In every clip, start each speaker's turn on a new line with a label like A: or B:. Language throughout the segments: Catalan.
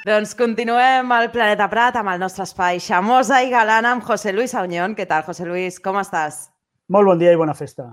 A: Doncs continuem al Planeta Prat amb el nostre espai Xamosa i Galana amb José Luis Auñón. Què tal, José Luis? Com estàs?
B: Molt bon dia i bona festa.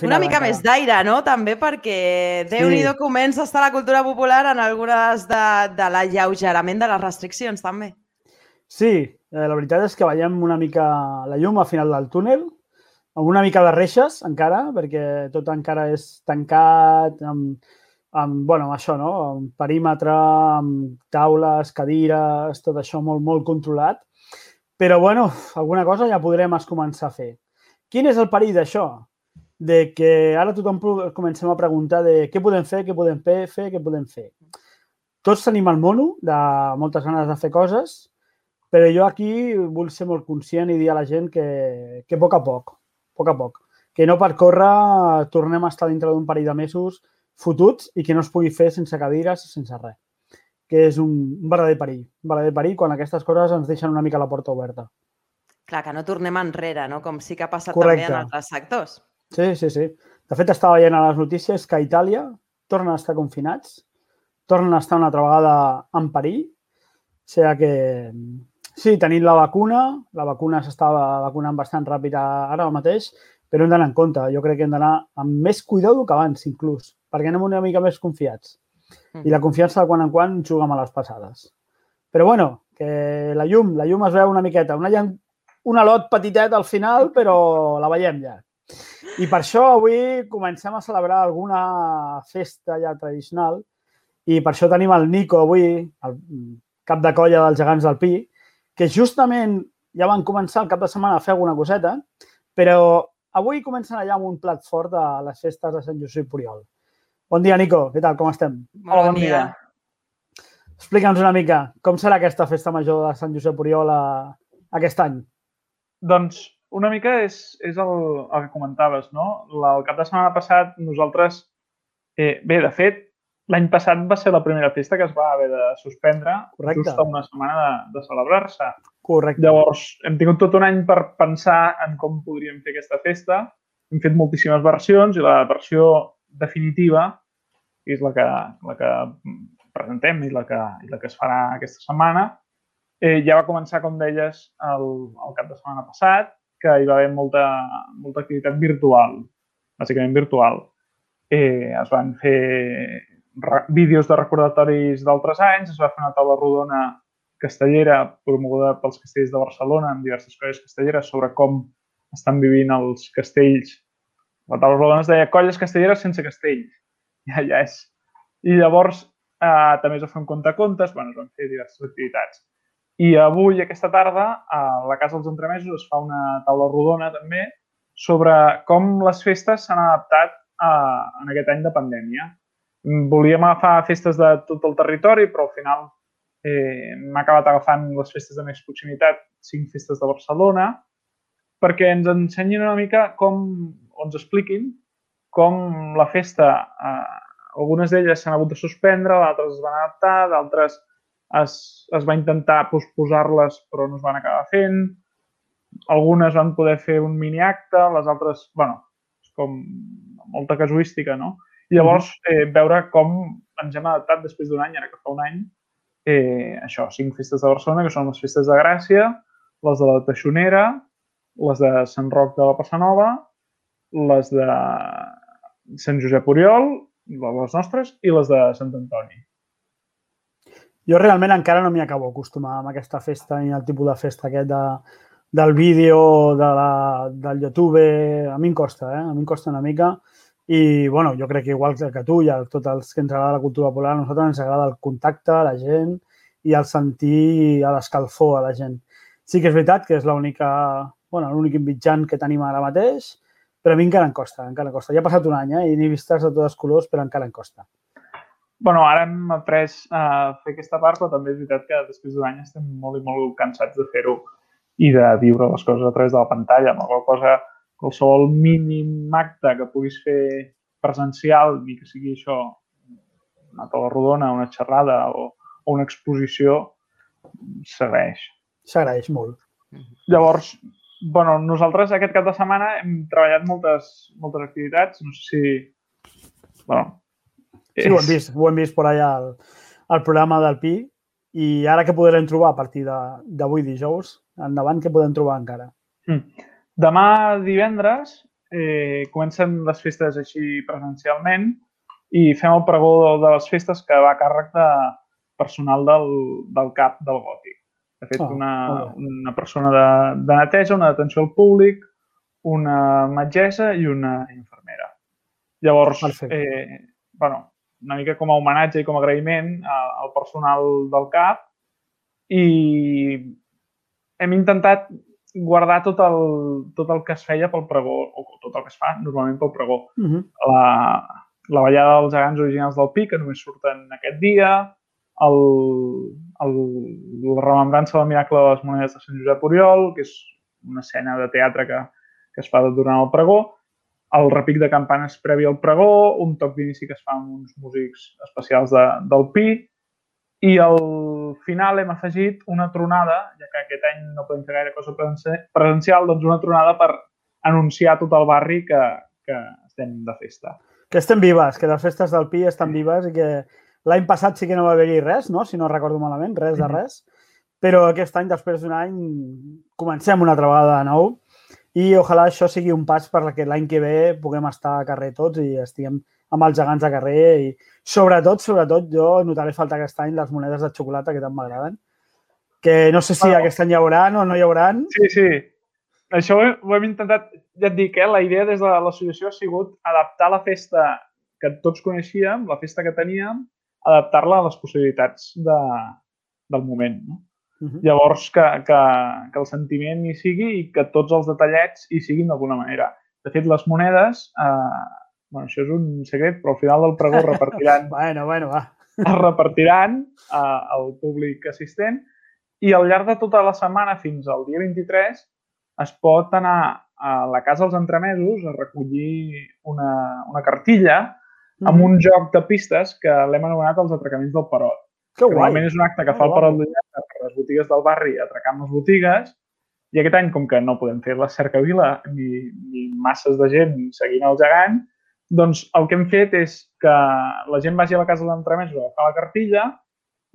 A: Una mica més d'aire, no? També perquè Déu-n'hi-do comença a estar la cultura popular en algunes de l'alleugerament de les restriccions, també.
B: Sí, la veritat és que veiem una mica la llum al final del túnel, amb una mica de reixes encara, perquè tot encara és tancat, amb això, no? Amb perímetre, amb taules, cadires, tot això molt controlat. Però, bueno, alguna cosa ja podrem començar a fer. Quin és el perill d'això? De que ara tothom comencem a preguntar de què podem fer, què podem fer, què podem fer. Tots tenim el mono de moltes ganes de fer coses, però jo aquí vull ser molt conscient i dir a la gent que a poc a poc, que no per córrer tornem a estar dintre d'un parell de mesos fotuts i que no es pugui fer sense cadires, sense res, que és un verdader perill quan aquestes coses ens deixen una mica la porta oberta.
A: Clar, que no tornem enrere, no? Com sí que ha passat també en altres sectors.
B: Sí. De fet, estava veient a les notícies que a Itàlia tornen a estar confinats, tornen a estar una altra vegada en perill, o sigui que sí, tenim la vacuna s'estava vacunant bastant ràpid ara mateix, però hem d'anar en compte. Jo crec que hem d'anar amb més cuidado que abans, inclús, perquè anem una mica més confiats. I la confiança de quan en quan juga a les passades. Però, bueno, que la llum es veu una miqueta. Un alot petitet al final, però la veiem ja. I per això avui comencem a celebrar alguna festa ja tradicional i per això tenim el Nico avui, el cap de colla dels gegants del Pi, que justament ja van començar el cap de setmana a fer alguna coseta, però avui comencen allà amb un plat fort de les festes de Sant Josep Oriol. Bon dia, Nico. Què tal? Com estem?
A: Hola, bon dia.
B: Explica'ns una mica com serà aquesta festa major de Sant Josep Oriol aquest any.
C: Doncs una mica és el que comentaves, no? El cap de setmana passat nosaltres... Bé, de fet, l'any passat va ser la primera festa que es va haver de suspendre just a una setmana de celebrar-se.
B: Correcte.
C: Llavors, hem tingut tot un any per pensar en com podríem fer aquesta festa. Hem fet moltíssimes versions i la versió definitiva, que és la que presentem i la que es farà aquesta setmana, ja va començar, com deies, el cap de setmana passat, que hi va haver molta activitat virtual, bàsicament virtual. Es van fer vídeos de recordatoris d'altres anys, es va fer una taula rodona castellera promoguda pels castells de Barcelona amb diverses colles castelleres sobre com estan vivint els castells. La taula rodona es deia Colles castelleres sense castells. Ja és. I llavors també es va fer un contacontes, es van fer diverses activitats. I avui, aquesta tarda, a la Casa dels Entremesos es fa una taula rodona també sobre com les festes s'han adaptat en aquest any de pandèmia. Volíem agafar festes de tot el territori, però al final m'ha acabat agafant les festes de més proximitat, 5 festes de Barcelona, perquè ens ensenyin una mica o ens expliquin com la festa, algunes d'elles s'han hagut de suspendre, d'altres es van adaptar, d'altres es va intentar posposar-les però no es van acabar fent, algunes van poder fer un miniacte, les altres, és com molta casuística, no? I llavors veure com ens hem adaptat després d'un any, ara que fa un any, 5 festes de Barcelona, que són les festes de Gràcia, les de la Teixonera, les de Sant Roc de la Passanova, les de Sant Josep Oriol, les nostres, i les de Sant Antoni.
B: Jo realment encara no m'hi acabo d'acostumar amb aquesta festa ni el tipus de festa aquest del vídeo, del YouTube. A mi em costa, a mi em costa una mica. I, bueno, jo crec que igual que tu i a tots els que ens agrada la cultura popular, a nosaltres ens agrada el contacte a la gent i el sentir a l'escalfor a la gent. Sí que és veritat que és l'únic mitjan que tenim ara mateix, però a mi encara em costa. Ja ha passat un any i n'he vistes de tots els colors, però encara em costa.
C: Ara hem après a fer aquesta part, però també és veritat que després d'un any estem molt i molt cansats de fer-ho i de viure les coses a través de la pantalla, amb qualsevol mínim acte que puguis fer presencial, ni que sigui això, una taula rodona, una xerrada o una exposició, s'agraeix.
B: S'agraeix molt.
C: Llavors, nosaltres aquest cap de setmana hem treballat moltes activitats, no sé si...
B: Sí, ho hem vist per allà al programa del Pi, I ara què podrem trobar a partir d'avui dijous? Endavant, què podem trobar encara?
C: Demà divendres comencen les festes així presencialment i fem el pregó de les festes que va a càrrec de personal del CAP del Gòtic. De fet, una persona de neteja, una d'atenció al públic, una metgessa i una infermera. Llavors, una mica com a homenatge i com a agraïment al personal del CAP i hem intentat guardar tot el que es feia pel pregó, o tot el que es fa normalment pel pregó. La ballada dels gegants originals del Pi, que només surten aquest dia, la remembrança del miracle de les monedes de Sant Josep Oriol, que és una escena de teatre que es fa durant el pregó, el repic de campanes previ al pregó, un toc d'inici que es fa amb uns músics especials del Pi, i al final hem afegit una tronada, ja que aquest any no podem fer gaire cosa presencial, doncs una tronada per anunciar a tot el barri que estem de festa.
B: Que estem vives, que les festes del Pi estan vives i que l'any passat sí que no va haver-hi res, no? Si no recordo malament, res de res. Però aquest any, després d'un any, comencem una altra vegada de nou i ojalà això sigui un pas perquè l'any que ve puguem estar a carrer tots i estiguem amb els gegants de carrer i sobretot, jo notaré falta aquest any les monedes de xocolata que tant m'agraden, que no sé si aquest any hi haurà o no hi haurà.
C: Sí. Això ho hem intentat, ja et dic, la idea des de l'associació ha sigut adaptar la festa que tots coneixíem, la festa que teníem, adaptar-la a les possibilitats del moment. Llavors, que el sentiment hi sigui i que tots els detallets hi siguin d'alguna manera. De fet, les monedes, això és un secret, però al final del pregó repartiran es repartiran al públic assistent i al llarg de tota la setmana fins al dia 23 es pot anar a la Casa dels Entremesos a recollir una cartilla amb un joc de pistes que l'hem anomenat els atracaments del Perot.
B: Que guai!
C: Normalment és un acte que fa el Perot d'Ullada per les botigues del barri atracant les botigues i aquest any, com que no podem fer la cercavila ni masses de gent seguint el gegant, doncs el que hem fet és que la gent vagi a la Casa dels Entremesos a agafar la cartilla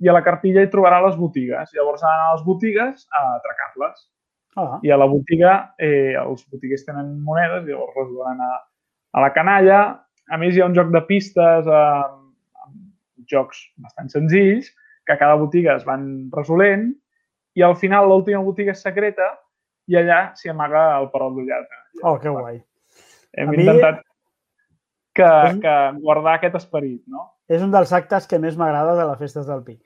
C: i a la cartilla hi trobarà les botigues. Llavors han d'anar a les botigues a atracar-les. I a la botiga els botiguers tenen monedes i llavors les donen a la canalla. A més, hi ha un joc de pistes amb jocs bastant senzills que a cada botiga es van resolent i al final l'última botiga és secreta i allà s'hi amaga el Perot d'Ullada.
B: Que guai.
C: Hem intentat guardar aquest esperit, no?
B: És un dels actes que més m'agrada de les festes del Pi.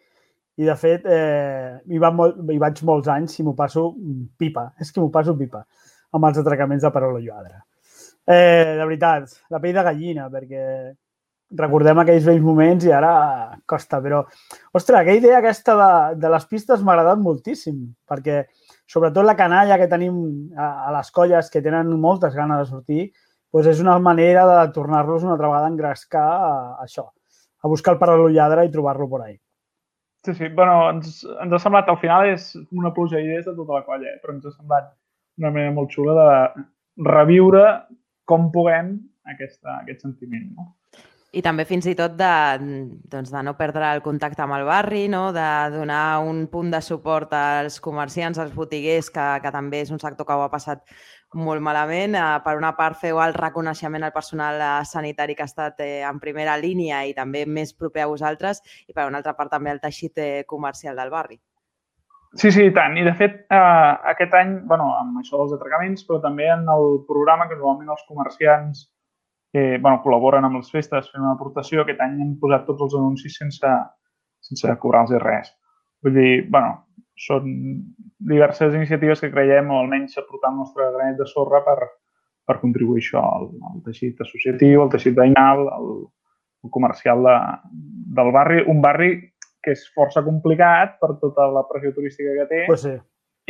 B: I, de fet, hi vaig molts anys i m'ho passo pipa. És que m'ho passo pipa amb els atracaments de Perot d'Ullada. De veritat, la pell de gallina, perquè recordem aquells vells moments i ara costa. Però, ostres, aquella idea aquesta de les pistes m'ha agradat moltíssim, perquè sobretot la canalla que tenim a les colles que tenen moltes ganes de sortir, doncs és una manera de tornar-los una altra vegada a engrescar a això, a buscar el Perot d'Ullada i trobar-lo per ahí.
C: Sí. Ens ha semblat, al final és una pluja d'idees de tota la colla, però ens ha semblat una manera molt xula de reviure com puguem aquest sentiment, no?
A: I també fins i tot de no perdre el contacte amb el barri, de donar un punt de suport als comerciants, als botiguers, que també és un sector que ho ha passat molt malament. Per una part, feu el reconeixement al personal sanitari que ha estat en primera línia i també més proper a vosaltres, i per una altra part també el teixit comercial del barri.
C: Sí, i tant. I de fet, aquest any, amb això dels atracaments, però també en el programa que normalment els comerciants col·laboren amb les festes fent una aportació, aquest any hem posat tots els anuncis sense cobrar-los res. Vull dir, són diverses iniciatives que creiem, o almenys aportar el nostre granet de sorra per contribuir això al teixit associatiu, al teixit veïnal, al comercial del barri. Un barri que és força complicat per tota la pressió turística que té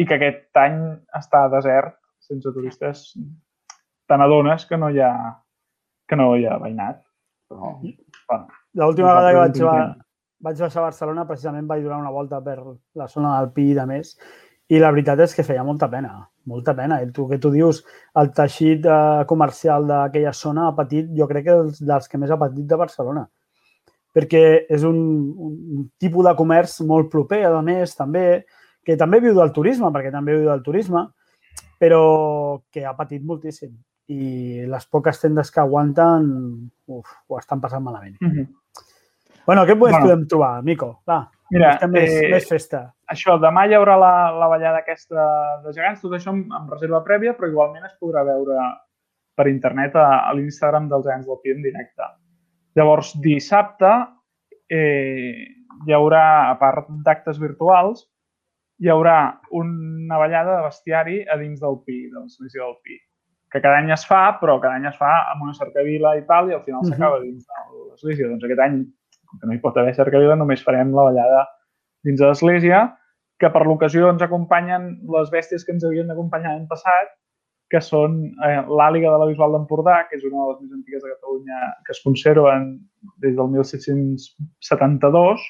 C: i que aquest any està desert, sense turistes. Te n'adones que no hi ha veïnat.
B: L'última vegada que vaig baixar a Barcelona precisament vaig donar una volta per la zona del Pi i de més i la veritat és que feia molta pena. I tu dius, el teixit comercial d'aquella zona ha patit, jo crec que dels que més ha patit de Barcelona. perquè és un tipus de comerç molt proper, a més, també, que també viu del turisme, perquè també viu del turisme, però que ha patit moltíssim. I les poques tendes que aguanten ho estan passant malament. Bueno, què podem trobar, Mico? Va,
C: mira,
B: més festa.
C: Això, demà hi haurà la ballada aquesta de gegants, tot això amb reserva prèvia, però igualment es podrà veure per internet a l'Instagram dels Gegants del Pi en directe. Llavors, dissabte hi haurà, a part d'actes virtuals, hi haurà una ballada de bestiari a dins del Pi, de l'església del Pi, que cada any es fa, però cada any es fa amb una cercavila i tal, i al final s'acaba dins de l'església. Doncs aquest any, com que no hi pot haver cercavila, només farem la ballada dins de l'església, que per l'ocasió ens acompanyen les bèsties que ens havien d'acompanyar l'any passat, que són l'àliga de la Bisbal d'Empordà, que és una de les més antigues de Catalunya, que es conserven des del 1772,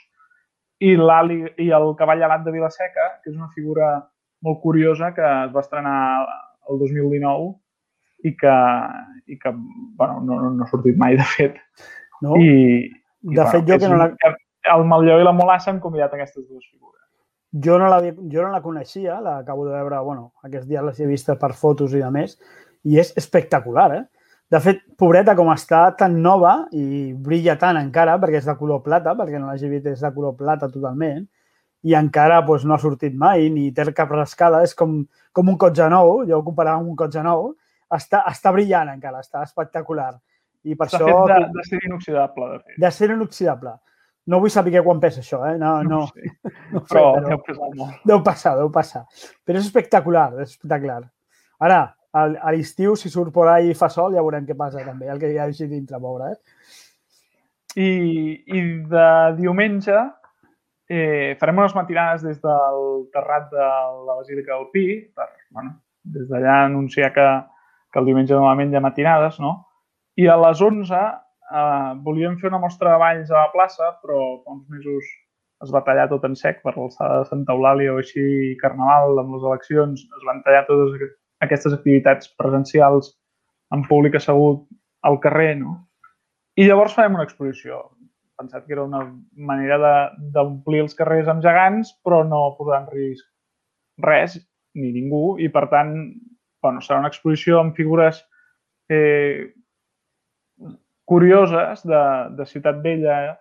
C: i el cavall alat de Vilaseca, que és una figura molt curiosa que es va estrenar el 2019 i que no ha sortit mai, de fet.
B: No? De fet, jo que no la...
C: El Matlló i la Molassa han convidat aquestes dues figures.
B: Jo no la coneixia, l'acabo de veure, aquests dies les he vist per fotos i de més, i és espectacular, eh? De fet, pobreta, com està tan nova i brilla tant encara, perquè és de color plata, perquè no l'hagi vist, és de color plata totalment, i encara no ha sortit mai, ni té cap rascada, és com un cotxe nou, jo ho comparava amb un cotxe nou, està brillant encara, està espectacular. I per això...
C: Està fet d'acer inoxidable, de fet.
B: D'acer inoxidable. No vull saber quan pesa això, eh?
C: No sé. Però deu pesar molt.
B: Deu passar. Però és espectacular, és espectacular. Ara, a l'estiu, si surt por ahí i fa sol, ja veurem què passa també, el que hi ha així dintre, pobre, eh?
C: I de diumenge farem unes matinades des del terrat de la Basílica del Pi, per, des d'allà anunciar que el diumenge normalment hi ha matinades, no? I a les 11 volíem fer una mostra de balls a la plaça, però fa uns mesos es va tallar tot en sec per l'alçada de Santa Eulàlia o així, Carnaval, amb les eleccions, es van tallar totes aquestes activitats presencials amb públic assegut al carrer, no? I llavors farem una exposició. He pensat que era una manera d'omplir els carrers amb gegants, però no posar en risc res, ni ningú, i per tant, serà una exposició amb figures curioses de Ciutat Vella,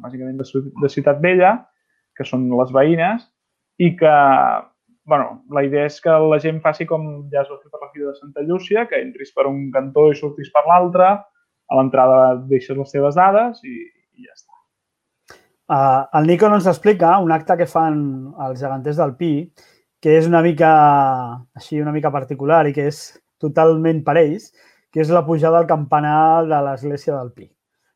C: bàsicament de Ciutat Vella, que són les veïnes, i que, la idea és que la gent faci com ja es va fer per la Fira de Santa Llúcia, que entris per un cantó i surtis per l'altre, a l'entrada deixes les teves dades i ja està.
B: El Nico ens explica un acte que fan els geganters del Pi, que és una mica particular i que és totalment per ells, que és la pujada al campanar de l'església del Pi.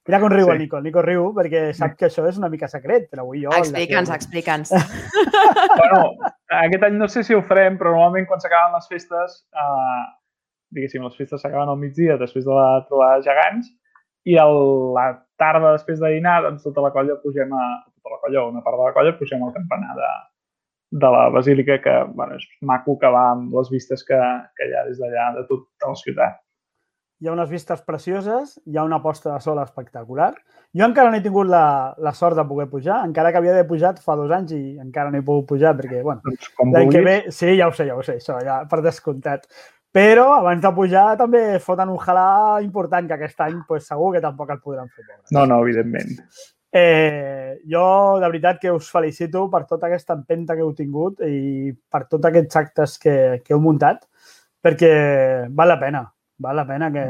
B: Mira com riu el Nico. El Nico riu perquè sap que això és una mica secret, però avui jo...
A: Explica'ns.
C: Aquest any no sé si ho farem, però normalment quan s'acaben les festes, diguéssim, les festes s'acaben al migdia després de la trobada de gegants, i a la tarda després de dinar, doncs tota la colla pugem una part de la colla pugem al campanar de la Basílica, que és maco, que va amb les vistes que hi ha des d'allà de tota la ciutat.
B: Hi ha unes vistes precioses, hi ha una posta de sol espectacular. Jo encara no he tingut la sort de poder pujar, encara que havia d'haver pujat fa 2 anys i encara no he pogut pujar perquè, l'any que ve... Sí, ja ho sé, això, ja per descomptat. Però abans de pujar també foten un halà important, que aquest any segur que tampoc el podran fer.
C: No, evidentment.
B: Jo, de veritat, que us felicito per tota aquesta empenta que heu tingut i per tots aquests actes que heu muntat, perquè val la pena que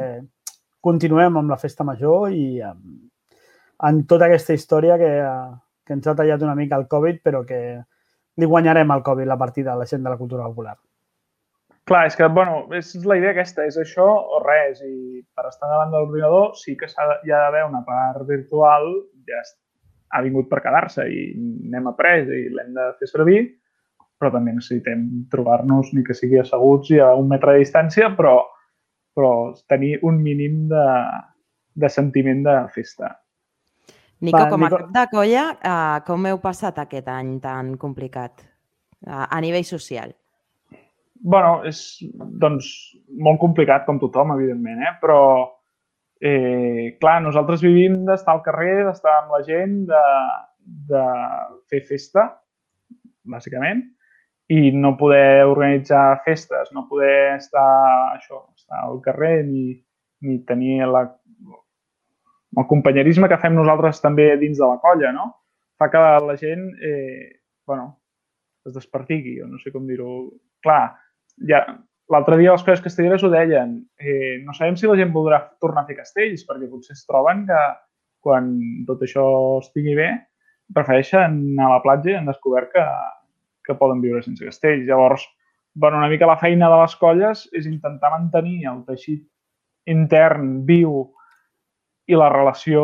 B: continuem amb la festa major i en tota aquesta història que ens ha tallat una mica el Covid, però que li guanyarem al Covid la partida a la gent de la cultura popular.
C: Clar, és que, és la idea aquesta, és això o res, i per estar davant de l'ordinador sí que hi ha d'haver una part virtual, ja ha vingut per quedar-se i n'hem après i l'hem de fer servir, però també necessitem trobar-nos, ni que sigui asseguts i a 1 metre de distància, però tenir un mínim de sentiment de festa.
A: Nico, com a cap de colla, com heu passat aquest any tan complicat a nivell social?
C: És, molt complicat, com tothom, evidentment, però clar, nosaltres vivim d'estar al carrer, d'estar amb la gent, de fer festa, bàsicament, i no poder organitzar festes, no poder estar al carrer ni tenir el companyerisme que fem nosaltres també dins de la colla, no? Fa que la gent, es despertigui, o no sé com dir-ho. Clar, l'altre dia les colles castelleres ho deien. No sabem si la gent voldrà tornar a fer castells, perquè potser es troben que quan tot això estigui bé, prefereixen anar a la platja i han descobert que poden viure sense castells. Llavors, una mica la feina de les colles és intentar mantenir el teixit intern viu i la relació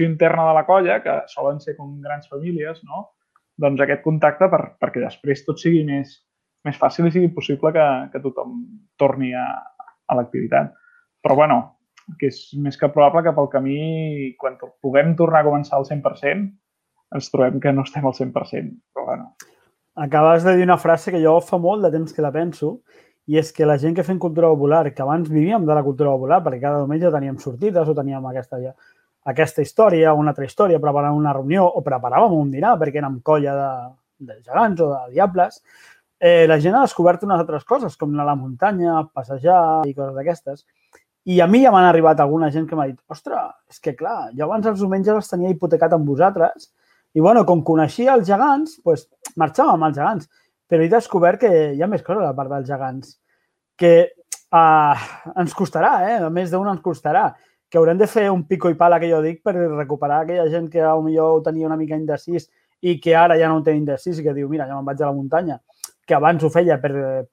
C: interna de la colla, que solen ser com grans famílies, no? Doncs aquest contacte perquè després tot sigui més fàcil i sigui possible que tothom torni a l'activitat. Però, que és més que probable que pel camí, quan puguem tornar a començar al 100%, ens trobem que no estem al 100%. Però,
B: Acabes de dir una frase que jo fa molt de temps que la penso, i és que la gent que fem cultura popular, que abans vivíem de la cultura popular, perquè cada diumenge teníem sortides o teníem aquesta història o una altra història, preparàvem una reunió o preparàvem un dinar perquè érem colla de gegants o de diables, la gent ha descobert unes altres coses, com anar a la muntanya, passejar i coses d'aquestes. I a mi ja m'han arribat alguna gent que m'ha dit ostres, és que clar, jo abans els diumenges els tenia hipotecat amb vosaltres i com coneixia els gegants, doncs marxàvem amb els gegants. Però he descobert que hi ha més coses a part dels gegants, que ens costarà, a més d'un ens costarà, que haurem de fer un pico i pala, que jo dic, per recuperar aquella gent que potser ho tenia una mica indecís i que ara ja no ho té indecís i que diu, mira, ja me'n vaig a la muntanya, que abans ho feia per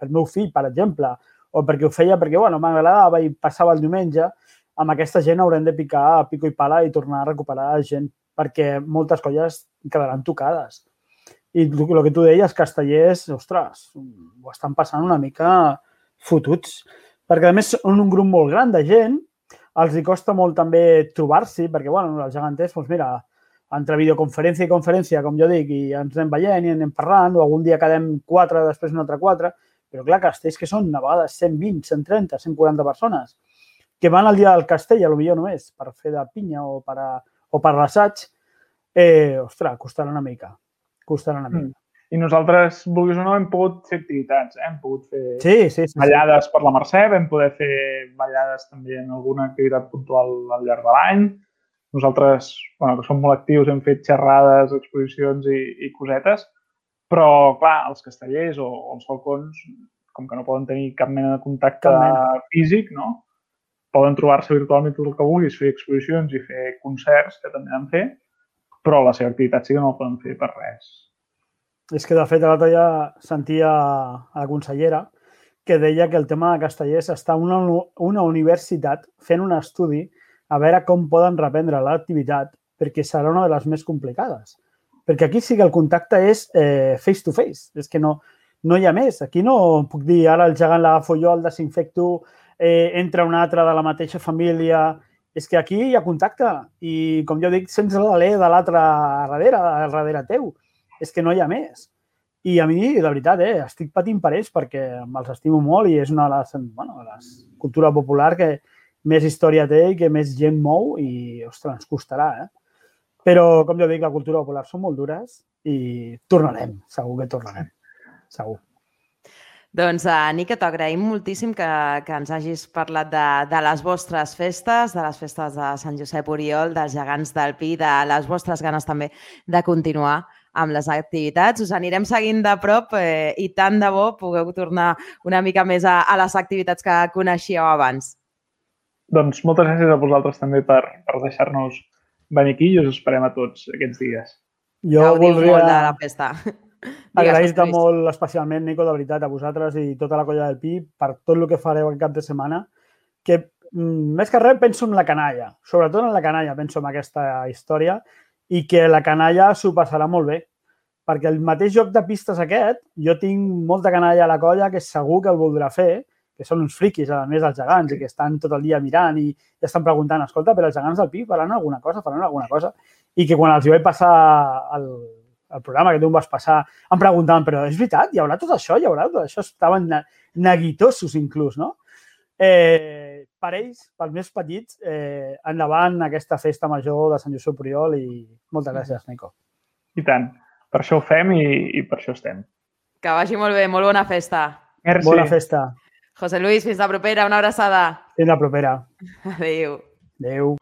B: meu fill, per exemple, o perquè ho feia perquè, m'agradava i passava el diumenge, amb aquesta gent haurem de picar pico i pala i tornar a recuperar gent, perquè moltes colles quedaran tocades. I el que tu deies, castellers, ostres, ho estan passant una mica fotuts. Perquè, a més, són un grup molt gran de gent, els hi costa molt també trobar-s'hi, perquè, els geganters, doncs mira, entre videoconferència i conferència, com jo dic, i ens anem veient i anem parlant, o algun dia quedem 4, després un altre 4, però clar, castells que són a vegades 120, 130, 140 persones, que van al dia del castell, potser només, per fer de pinya o per l'assaig, ostres, costarà una mica.
C: I nosaltres, vulguis o no, hem pogut fer activitats, hem pogut fer ballades per la Mercè, vam poder fer ballades també en alguna activitat puntual al llarg de l'any. Nosaltres, que som molt actius, hem fet xerrades, exposicions i cosetes, però, clar, els castellers o els falcons, com que no poden tenir cap mena de contacte físic, no? Poden trobar-se virtualment tot el que vulguis, fer exposicions i fer concerts, que també han de fer, però la seva activitat sí que no la poden fer per res.
B: És que, de fet, l'altre dia sentia a la consellera que deia que el tema de castellers està una universitat fent un estudi a veure com poden reprendre l'activitat, perquè serà una de les més complicades. Perquè aquí sí que el contacte és face to face, és que no hi ha més. Aquí no puc dir ara el gegant l'agafo jo, el desinfecto, entra un altre de la mateixa família. És que aquí hi ha contacte i, com jo dic, sents l'alè de l'altre darrere teu. És que no hi ha més. I a mi, de veritat, estic patint per ells perquè me'ls estimo molt i és una de les cultura popular que més història té i que més gent mou i, ostres, ens costarà, Però, com jo dic, la cultura popular són molt dures i tornarem, segur que tornarem, segur.
A: Doncs, Nico, t'agraïm moltíssim que ens hagis parlat de les vostres festes, de les festes de Sant Josep Oriol, dels gegants del Pi, de les vostres ganes també de continuar amb les activitats. Us anirem seguint de prop i tant de bo pugueu tornar una mica més a les activitats que coneixíeu abans.
C: Doncs moltes gràcies a vosaltres també per deixar-nos venir aquí i us esperem a tots aquests dies.
B: Gaudiu
A: molt de la festa.
B: Agrair-te molt especialment, Nico, de veritat, a vosaltres i tota la colla del Pi per tot el que fareu aquest cap de setmana, que més que res penso en la canalla, sobretot en la canalla penso en aquesta història i que la canalla s'ho passarà molt bé, perquè el mateix joc de pistes aquest, jo tinc molta canalla a la colla que segur que el voldrà fer, que són uns friquis, a més dels gegants, i que estan tot el dia mirant i estan preguntant, escolta, però els gegants del Pi faran alguna cosa, i que quan els hi vaig passar el programa que tu em vas passar, em preguntaven, però és veritat? Hi haurà tot això? Estaven neguitosos inclús, no? per ells, pels més petits, endavant aquesta festa major de Sant Josep Oriol i moltes gràcies, Nico.
C: I tant. Per això ho fem i per això estem.
A: Que vagi molt bé, molt bona festa.
C: Merci.
B: Bona festa.
A: José Luis, fins la propera, una abraçada.
B: Fins la propera.
A: Adéu.
B: Adéu.